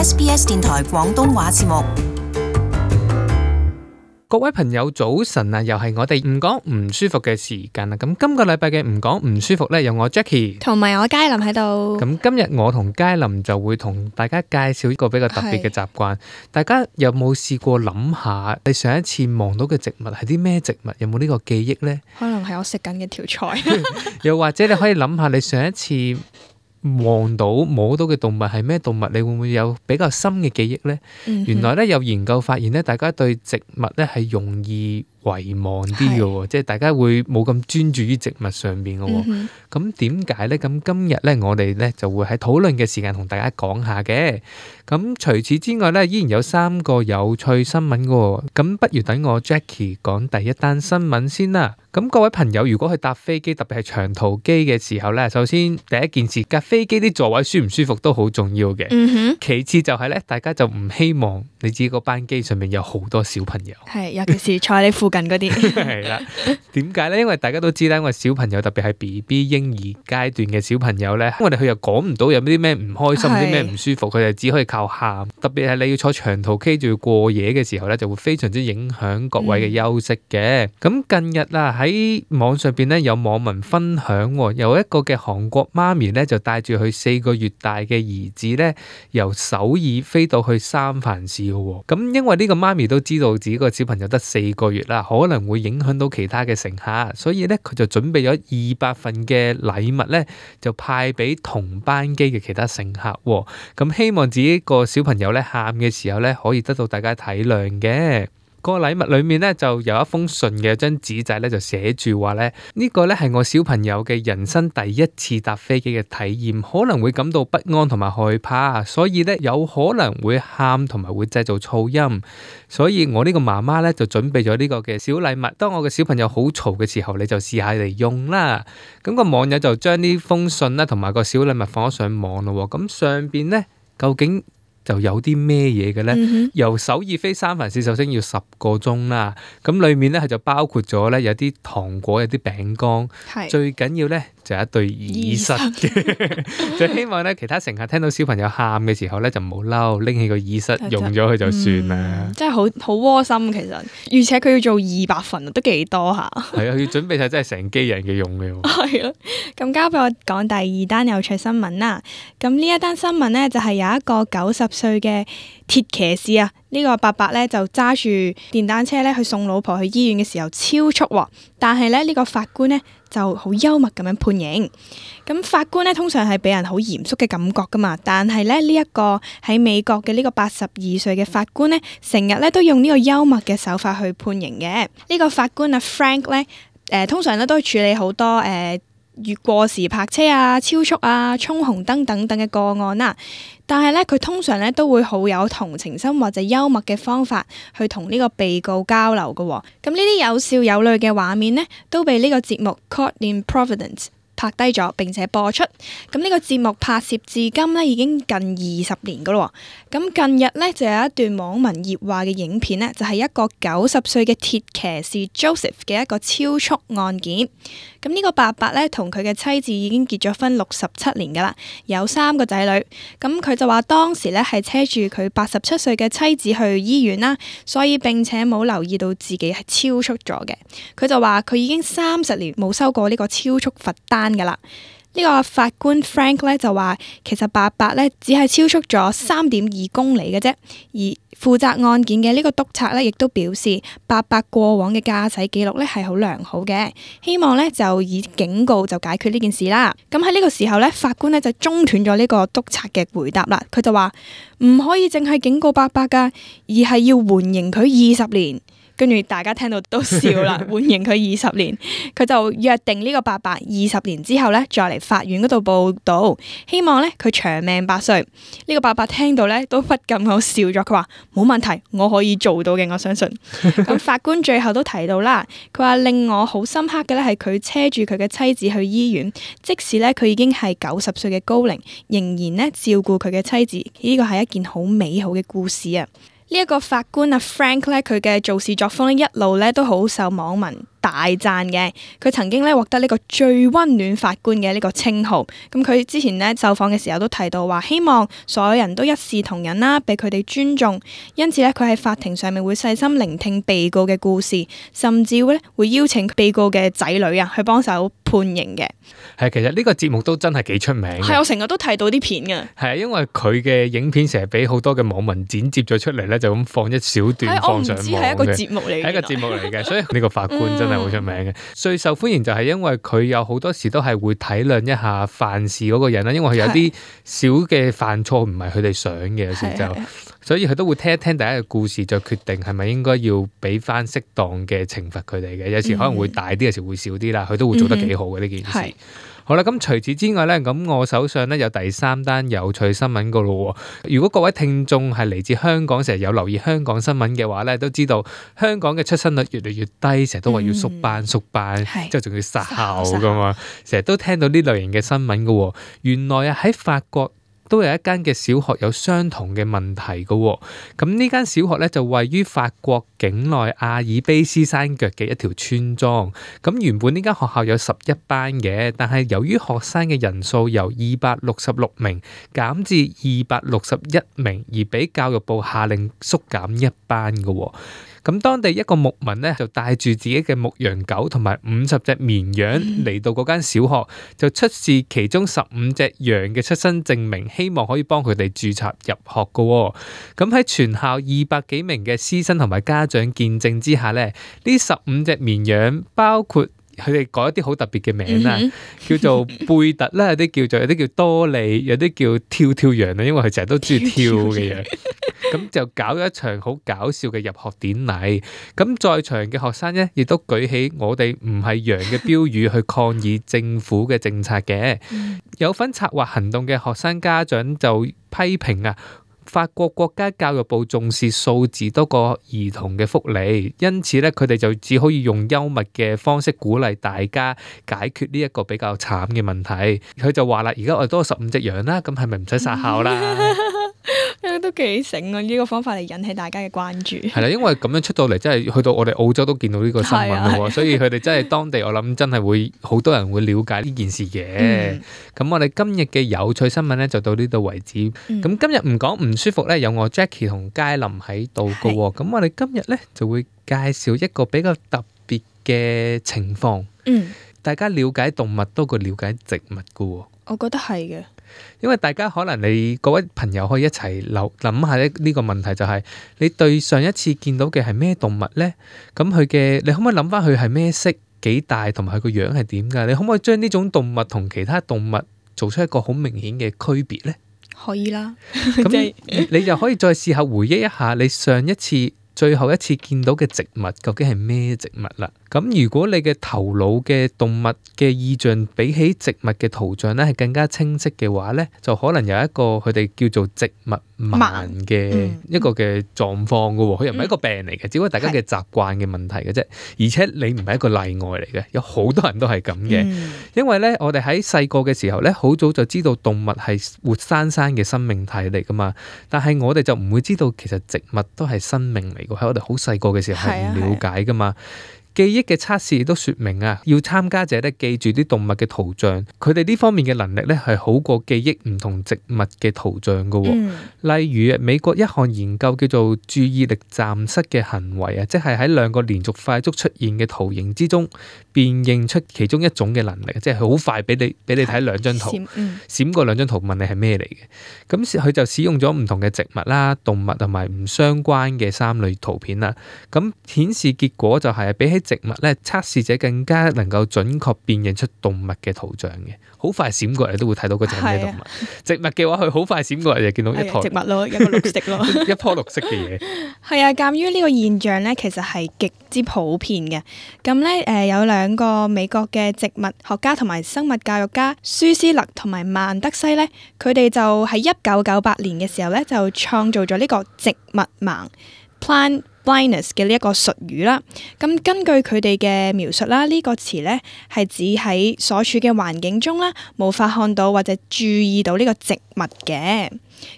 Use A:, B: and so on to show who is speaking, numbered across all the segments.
A: SBS 電台廣東話節目。
B: 各位朋友早晨啊，又係我哋唔講唔舒服嘅時間啦。咁今個禮拜嘅唔講唔舒服呢，有我 Jackie
C: 同埋我佳琳喺度。
B: 咁今日我同佳琳就會同大家介紹一個比較特別嘅習慣。大家有冇試過諗下，你上一次望到嘅植物係啲咩植物？有冇呢個記憶呢？
C: 可能係我食緊嘅條菜。
B: 又或者你可以諗下，你上一次望到摸到嘅動物係咩動物？你會唔會有比較深嘅記憶呢？原來咧有研究發現咧，大家對植物咧係容易遺忘啲嘅喎，即係大家會冇咁專注於植物上邊嘅喎。咁點解咧？咁今日咧我哋咧就會喺討論嘅時間同大家講下嘅。咁除此之外咧，依然有3個有趣新聞嘅喎。咁不如等我 Jackie 講第一單新聞先啦。咁各位朋友，如果去搭飛機，特別係長途機嘅時候咧，首先第一件事，架飛機啲座位舒唔舒服都好重要嘅。其次就係咧，大家就唔希望你自己個班機上面有好多小朋友。
C: 係，尤其是坐喺你附近嗰啲。
B: 係啦，點解咧？因為大家都知啦，因為小朋友特別係 BB 嬰兒階段嘅小朋友咧，我哋佢又講唔到有啲咩唔開心，啲咩唔舒服，佢哋只可以靠喊。特別係你要坐長途機仲要過夜嘅時候咧，就會非常之影響各位嘅休息嘅。咁近日啊，喺網上邊咧有網民分享，有一個嘅韓國媽咪咧就帶住佢4個月大嘅兒子咧，由首爾飛到去三藩市嘅。咁因為呢個媽咪都知道自己個小朋友得4個月啦，可能會影響到其他嘅乘客，所以咧佢就準備咗200份嘅禮物咧，就派俾同班機嘅其他乘客。咁希望自己個小朋友咧喊嘅時候咧，可以得到大家體諒嘅。個禮物裏面咧就有一封信嘅張紙仔咧，就寫住話咧，呢個咧係我小朋友嘅人生第一次搭飛機嘅體驗，可能會感到不安同埋害怕，所以咧有可能會喊同埋會製造噪音，所以我呢個媽媽咧就準備咗呢個嘅小禮物，當我嘅小朋友好嘈嘅時候，你就試下嚟用啦。咁個網友就將呢封信啦同埋個小禮物放咗上網咯。咁上邊咧究竟就有啲咩嘢嘅咧？由首爾飛三藩市首先要10個鐘啦。咁裏面咧佢就包括咗咧有啲糖果、有啲餅乾，最緊要咧就有一對耳塞嘅。就希望咧其他乘客聽到小朋友喊嘅時候咧就唔好嬲，拎起個耳塞用咗佢就算啦。真係
C: 好窩心其實，而且佢要做200份都幾多下。
B: 係啊，要準備晒真係成機人嘅用嘅。
C: 係啊，咁交俾我講第2單有趣新聞啦。咁呢一單新聞咧就係有一個90歲嘅鐵騎士啊，呢個伯伯咧就揸住電單車咧去送老婆去醫院嘅時候超速，但係咧呢個法官咧就好幽默咁樣判刑。咁法官咧通常係俾人好嚴肅嘅感覺噶嘛，但係咧呢一個喺美國嘅呢個82歲嘅法官咧，成日咧都用呢個幽默嘅手法去判刑嘅。呢個法官啊 Frank 咧，通常咧都處理好多越過時泊車啊、超速啊、衝紅燈等等嘅個案啦，但係咧佢通常咧都會好有同情心或者幽默嘅方法去同呢個被告交流嘅。咁呢啲有笑有淚嘅畫面呢，都被呢個節目 Caught in Providence拍低咗並且播出。咁呢個節目拍攝至今呢已經近20年噶咯。咁近日呢，就有一段網民熱話嘅影片呢，就係一個90歲嘅鐵騎士 Joseph 嘅一個超速案件。咁呢個伯伯咧同佢嘅妻子已經結咗婚67年噶啦，有3個仔女。咁佢就話當時咧係車住佢87歲嘅妻子去醫院啦，所以並且冇留意到自己係超速咗嘅。佢就話佢已經30年冇收過呢個超速罰單噶啦。呢個法官 Frank 咧就話，其實伯伯咧只係超速咗3.2公里嘅啫，而負責案件嘅呢個督察咧亦都表示，伯伯過往嘅駕駛記錄咧係好良好嘅，希望咧就以警告就解決呢件事啦。咁喺呢個時候咧，法官咧就中斷咗呢個督察嘅回答啦，佢就話唔可以淨係警告伯伯噶，而係要緩刑佢20年。跟住大家聽到都笑啦，緩刑佢20年，佢就約定呢個伯伯20年之後咧，再嚟法院嗰度報到，希望咧佢長命百歲。呢個伯伯聽到咧都不禁咁笑咗，佢話冇問題，我可以做到嘅，我相信。咁法官最後都提到啦，佢話令我好深刻嘅咧係佢車住佢嘅妻子去醫院，即使咧佢已經係90歲嘅高齡，仍然咧照顧佢嘅妻子，呢個係一件好美好嘅故事啊！呢一個法官啊 Frank 咧，佢嘅做事作風咧一路咧都好受網民大讚嘅。佢曾經咧獲得呢個最溫暖法官嘅呢個稱號。咁佢之前咧受訪嘅時候都提到話，希望所有人都一視同仁啦，俾佢哋尊重。因此咧，佢喺法庭上面會細心聆聽被告嘅故事，甚至會邀請被告嘅仔女啊去幫手判刑嘅。
B: 係，其實呢個節目都真係幾出名嘅。
C: 係，我成日都睇到啲片嘅。
B: 係啊，因為佢嘅影片成日俾好多嘅網民剪接咗出嚟咧，就咁放一小段放上網嘅。
C: 係一個節目嚟嘅。
B: 係一個節目嚟嘅，所以呢個法官真係好出名嘅。最受歡迎就係因為佢有好多時都係會體諒一下犯事嗰個人啦，因為佢有啲小嘅犯錯唔係佢哋想嘅，有時就。所以佢都會聽一聽大家嘅故事，就決定係咪應該要俾翻適當嘅懲罰佢哋嘅。有時可能會大啲，有時會少啲啦。佢都會做得幾好嘅呢件事。好啦，咁除此之外咧，咁我手上咧有第3單有趣新聞噶咯。如果各位聽眾係嚟自香港，成日有留意香港新聞嘅話咧，都知道香港嘅出生率越嚟越低，成日都話要縮班，之後仲要殺校噶嘛，成日都聽到呢類型嘅新聞噶。原來啊喺法國都有一間嘅小學有相同嘅問題嘅喎，咁呢間小學咧就位於法國境內阿爾卑斯山腳嘅一條村莊。咁原本呢間學校有11班嘅，但係由於學生嘅人數由266名減至261名，而俾教育部下令縮減1班嘅喎。咁當地一個牧民咧就帶住自己嘅牧羊狗同埋50隻綿羊嚟到嗰間小學，就出示其中15隻羊嘅出生證明，希望可以幫佢哋註冊入學嘅。咁喺全校200幾名嘅師生同埋家長見證之下咧，呢15隻綿羊包括佢哋改一啲好特別嘅名啦，叫做貝特啦，有啲叫多利，有啲叫跳跳羊啦，因為佢成日都中意跳嘅羊。咁就搞咗一場好搞笑嘅入學典禮。咁在場嘅學生咧，亦都舉起我哋唔係羊嘅標語去抗議政府嘅政策嘅。有份策劃行動嘅學生家長就批評啊，法國國家教育部重視數字多過兒童嘅福利，因此咧佢哋就只可以用幽默嘅方式鼓勵大家解決呢一個比較慘嘅問題。佢就話啦，而家我哋多15隻羊啦，咁係咪唔使殺校啦？
C: 都幾醒啊！呢個方法嚟引起大家嘅關注。係
B: 啦，因為咁樣出到嚟，真係去到我哋澳洲都見到呢個新聞咯，所以佢哋真係當地，我諗真係會好多人會了解呢件事嘅。咁我哋今日嘅有趣新聞咧就到呢度為止。咁今日唔講唔舒服咧，有我 Jackie 同佳琳喺度噶。咁我哋今日咧就會介紹一個比較特別嘅情況。大家了解動物多過了解植物噶。
C: 我覺得係嘅。
B: 因為大家可能你各位朋友可以一齊諗下呢個問題，就係你對上一次見到嘅係咩動物呢？咁你可唔可以諗翻佢係咩色、幾大，同埋佢個樣係點㗎？你可唔可以將呢種動物同其他動物做出一個好明顯嘅區別呢？
C: 可以啦。
B: 咁你就可以再試下回憶一下你上一次最後一次見到嘅植物究竟係咩植物啦？咁如果你嘅頭腦嘅動物嘅意象比起植物嘅圖像咧係更加清晰嘅話咧，就可能有一個佢哋叫做植物盲嘅一個嘅狀況噶喎。佢又唔係一個病嚟嘅，只不過大家嘅習慣嘅問題嘅啫。而且你唔係一個例外嚟嘅，有好多人都係咁嘅。因為咧，我哋喺細個嘅時候咧，好早就知道動物係活生生嘅生命體嚟噶嘛。但係我哋就唔會知道其實植物都係生命嚟嘅，喺我哋好細個嘅時候係唔了解噶嘛。記憶嘅測試亦都說明啊，要參加者咧記住啲動物嘅圖像，佢哋呢方面嘅能力咧係好過記憶唔同植物嘅圖像噶。例如美國一項研究叫做注意力暫失嘅行為啊，即係喺兩個連續快速出現嘅圖形之中辨認出其中一種嘅能力，即係好快俾你睇兩張圖，閃過兩張圖問你係咩嚟嘅。咁佢就使用咗唔同嘅植物啦、動物同埋唔相關嘅3類圖片啦。咁顯示結果就係比起植物咧，測試者更加能夠準確辨認出動物嘅圖像嘅，好快閃過嚟都會睇到嗰隻係咩動物。植物嘅話，佢好快閃過嚟就見到一坨
C: 植物咯，一個綠色咯，
B: 一樖綠色嘅嘢。
C: 係啊，鑑於呢個現象咧，其實係極之普遍嘅。咁咧，有2個美國嘅植物學家同埋生物教育家舒斯勒同埋曼德西咧，佢哋就喺1998年嘅時候咧，就創造咗呢個植物盲 （plant blindness） 嘅呢一個術語啦。咁根據佢哋嘅描述啦，呢個詞咧係指喺所處嘅環境中啦，無法看到或者注意到呢個植物嘅。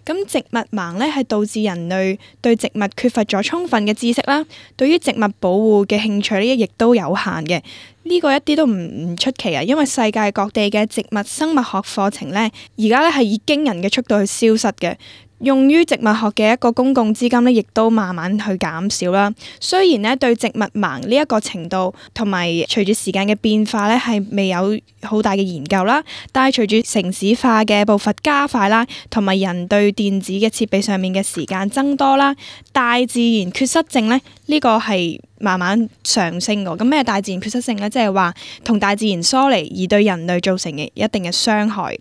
C: 咁植物盲咧係導致人類對植物缺乏咗充分嘅知識啦，對於植物保護嘅興趣咧亦都有限嘅。呢個一啲都唔出奇啊，因為世界各地嘅植物生物學課程咧，而家咧係以驚人嘅速度去消失嘅。用於植物學嘅一個公共資金咧，亦都慢慢去減少啦。雖然咧對植物盲呢一個程度同埋隨住時間嘅變化咧，係未有好大嘅研究啦。但係隨住城市化嘅步伐加快啦，同埋人對電子嘅設備上面嘅時間增多啦，大自然缺失症咧呢個係慢慢上升㗎。咁咩大自然缺失症咧？即係話同大自然疏離而對人類造成嘅一定嘅傷害。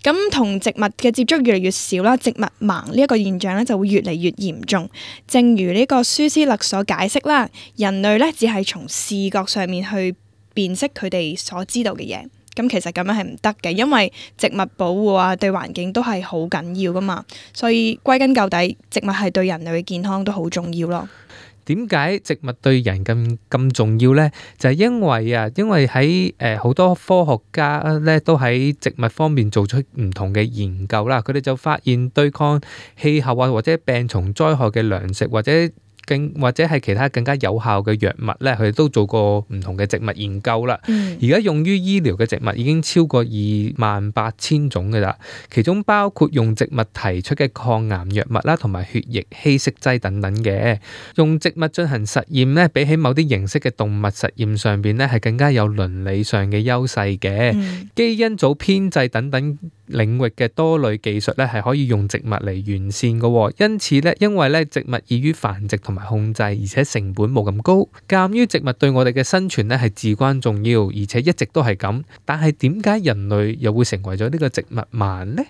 C: 咁同植物嘅接觸越嚟越少啦，植物盲呢一個現象咧就會越嚟越嚴重。正如呢個舒斯勒所解釋啦，人類咧只係從視覺上面去辨識佢哋所知道嘅嘢。咁其實咁樣係唔得嘅，因為植物保護啊對環境都係好緊要噶嘛。所以歸根究底，植物係對人類嘅健康都好重要咯。
B: 點解植物對人咁重要呢？就係因為喺好多科學家咧都喺植物方面做出唔同嘅研究啦，佢哋就發現對抗氣候啊或者病蟲災害嘅糧食或者係其他更加有效嘅藥物咧，佢哋都做過唔同嘅植物研究啦。而家用於醫療嘅植物已經超過28,000種㗎啦，其中包括用植物提出嘅抗癌藥物啦，同埋血液稀釋劑等等嘅。用植物進行實驗咧，比起某啲形式嘅動物實驗上邊咧，係更加有倫理上嘅優勢嘅。基因組編製等等領域嘅多類技術咧，係可以用植物嚟完善嘅。因此咧，因為咧植物易於繁殖同埋控制，而且成本冇咁高。鑑於植物對我哋嘅生存咧係至關重要，而且一直都係咁。但係點解人類又會成為咗呢個植物盲呢？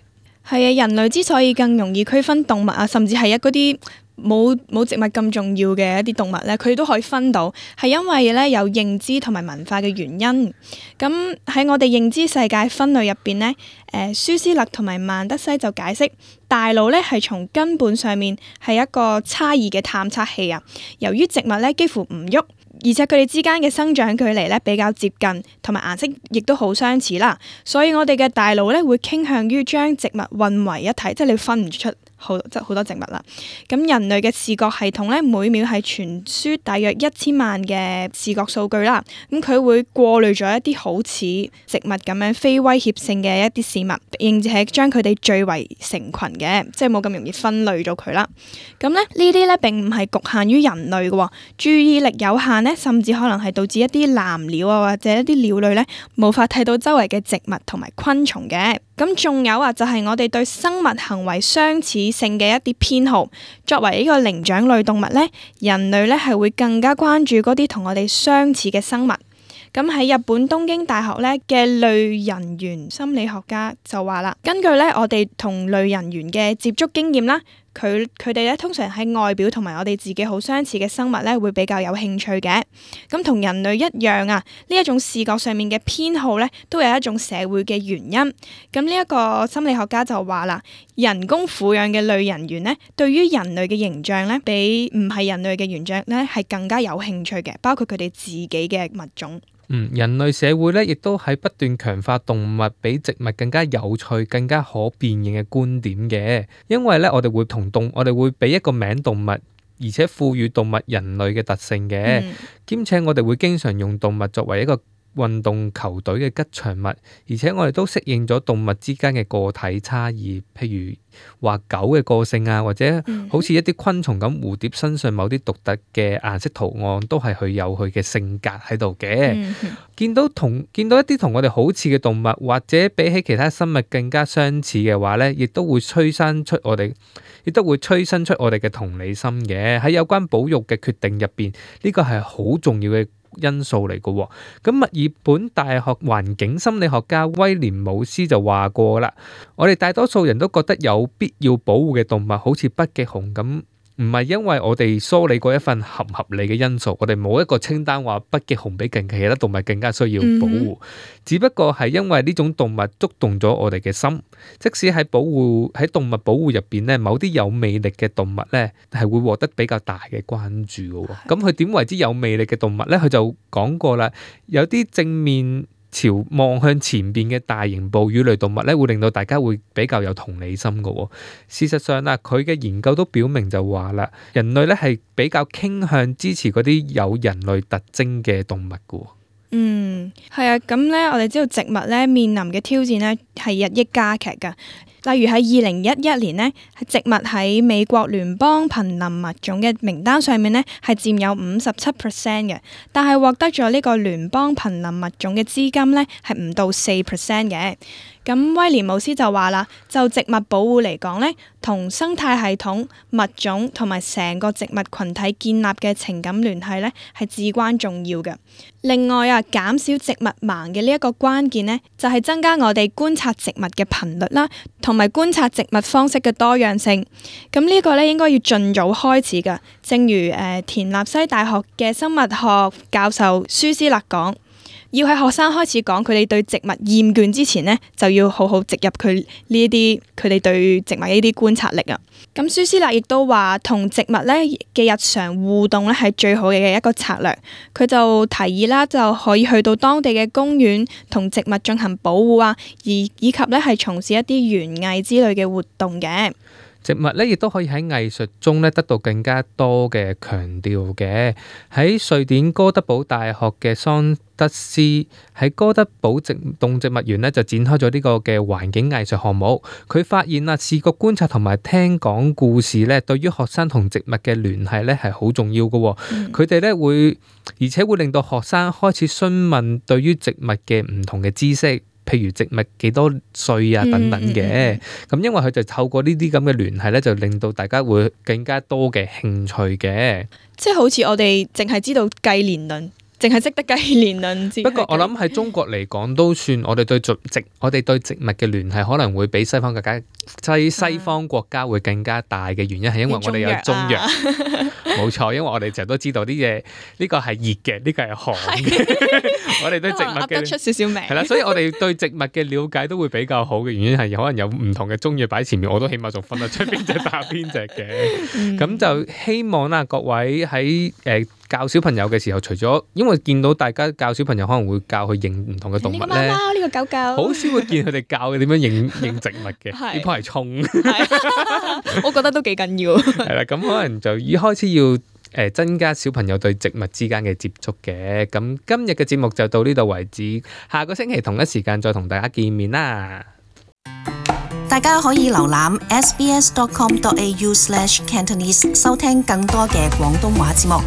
C: 係啊，人類之所以更容易區分動物啊，甚至係嗰啲冇植物咁重要嘅一啲動物咧，佢哋都可以分到，係因為咧有認知同埋文化嘅原因。咁喺我哋認知世界分類入邊咧，舒斯勒同埋曼德西就解釋，大腦咧係從根本上面係一個差異嘅探測器啊。由於植物咧幾乎唔喐，而且佢哋之間嘅生長距離咧比較接近，同埋顏色亦都好相似啦，所以我哋嘅大腦咧會傾向於將植物混為一體，即係你分唔出好多植物啦。咁人類嘅視覺系統咧每秒係傳輸大約1000萬嘅視覺數據啦，咁佢會過濾咗一啲好似植物咁樣非威脅性嘅一啲事物，並且將佢哋聚為成群嘅，即係冇咁容易分類咗佢啦。咁咧呢啲咧並唔係局限於人類嘅，注意力有限咧，甚至可能係導致一啲藍鳥啊或者一啲鳥類咧無法睇到周圍嘅植物同埋昆蟲嘅。咁仲有啊，就係我哋對生物行為相似性嘅一啲偏好。作為呢個靈長類動物咧，人類咧係會更加關注嗰啲同我哋相似嘅生物。咁喺日本東京大學咧嘅類人猿心理學家就話啦，根據咧我哋同類人猿嘅接觸經驗啦，佢哋咧通常喺外表同埋我哋自己好相似嘅生物咧會比較有興趣嘅。咁同人類一樣啊，呢一種視覺上面嘅偏好咧都有一種社會嘅原因。咁呢一個心理學家就話啦，人工撫養嘅類人猿咧對於人類嘅形象咧比唔係人類嘅形象咧係更加有興趣嘅，包括佢哋自己嘅物種。
B: 人類社會咧，亦都喺不斷強化動物比植物更加有趣、更加可辨認嘅觀點嘅。因為咧，我哋會俾一個名動物，而且賦予動物人類嘅特性嘅，兼且我哋會經常用動物作為一個運動球隊嘅吉祥物，而且我哋都適應咗動物之間嘅個體差異，譬如話狗嘅個性啊，或者好似一啲昆蟲咁，蝴蝶身上某啲獨特嘅顏色圖案都係佢有佢嘅性格喺度嘅。見到一啲同我哋好似嘅動物，或者比起其他生物更加相似嘅話咧，亦都會催生出我哋嘅同理心嘅。喺有關保育嘅決定入邊，呢個係好重要嘅因素嚟嘅。咁墨爾本大學環境心理學家威廉姆斯就話過啦，我哋大多數人都覺得有必要保護嘅動物好似北極熊咁，唔係因為我哋梳理過一份合唔合理嘅因素，我哋冇一個清單話北極熊比其他動物更加需要保護，只不過係因為呢種動物觸動咗我哋嘅心。即使喺動物保護入邊咧，某啲有魅力嘅動物咧係會獲得比較大嘅關注嘅。咁佢點為之有魅力嘅動物咧？佢就講過啦，有啲正面朝望向前邊嘅大型哺乳類動物咧，會令到大家會比較有同理心嘅。事實上啊，佢嘅研究都表明就話啦，人類咧係比較傾向支持嗰啲有人類特徵嘅動物嘅。
C: 係啊，咁咧我哋知道植物咧面臨嘅挑戰咧係日益加劇㗎。例如喺2011年呢，植物喺美國聯邦瀕臨物種嘅名單上面呢，係佔有57%嘅，但係獲得咗呢個聯邦瀕臨物種嘅資金呢，係唔到4% 嘅。咁威廉姆斯就話啦，就植物保護嚟講呢，同生態系統、物種同埋成個植物群體建立嘅情感聯繫呢，係至關重要嘅。另外啊，減少植物盲嘅呢一個關鍵呢，就係增加我哋觀察植物嘅頻率啦，同埋觀察植物方式嘅多樣性。咁呢個呢，應該要盡早開始㗎。正如田納西大學嘅生物學教授舒斯勒講，要喺學生開始講佢哋對植物厭倦之前呢，就要好好植入佢呢啲佢哋對植物呢啲觀察力啊。咁舒斯勒亦都話，同植物呢嘅日常互動呢係最好嘅一個策略。佢就提議啦，就可以去到當地嘅公園同植物進行保護啊，以及呢係從事一啲園藝之類嘅活動嘅。
B: 植物咧，亦都可以喺藝術中咧得到更加多嘅強調嘅。喺瑞典哥德堡大學嘅桑德斯喺哥德堡動植物園咧就展開咗呢個嘅環境藝術項目。佢發現啊，視覺觀察同埋聽講故事咧，對於學生同植物嘅聯繫咧係好重要嘅。佢哋咧會，而且會令到學生開始詢問對於植物嘅唔同嘅知識。譬如植物幾多歲啊等等嘅，咁因為佢就透過呢啲咁嘅聯繫咧，就令到大家會更加多嘅興趣嘅。
C: 即係好似我哋淨係知道計年輪，淨係識得計年輪。
B: 不過我諗喺中國嚟講都算，我哋對植物嘅聯繫可能會比西方國家會更加大嘅原因係因為我哋有中藥。冇錯，因為我哋成日都知道啲嘢，呢個係熱嘅，呢個係寒嘅。我哋對植物嘅
C: 出少少名
B: 係啦，所以我哋對植物嘅了解都會比較好嘅原因係可能有唔同嘅中藥擺喺前面，我都起碼仲分得出邊隻打邊隻嘅。咁就希望啦，各位喺教小朋友嘅時候，除咗因為見到大家教小朋友可能會教佢認唔同嘅動物咧，
C: 呢個貓貓，呢個狗狗，
B: 好少會見佢哋教佢點樣認植物嘅。呢棵係葱，
C: 我覺得都幾緊要。
B: 係啦，咁可能就已開始要增加小朋友對植物之間嘅接觸嘅。咁今日嘅節目就到呢度為止，下個星期同一時間再同大家見面啦。
A: 大家可以瀏覽 sbs.com.au/cantonese 收聽更多嘅廣東話節目。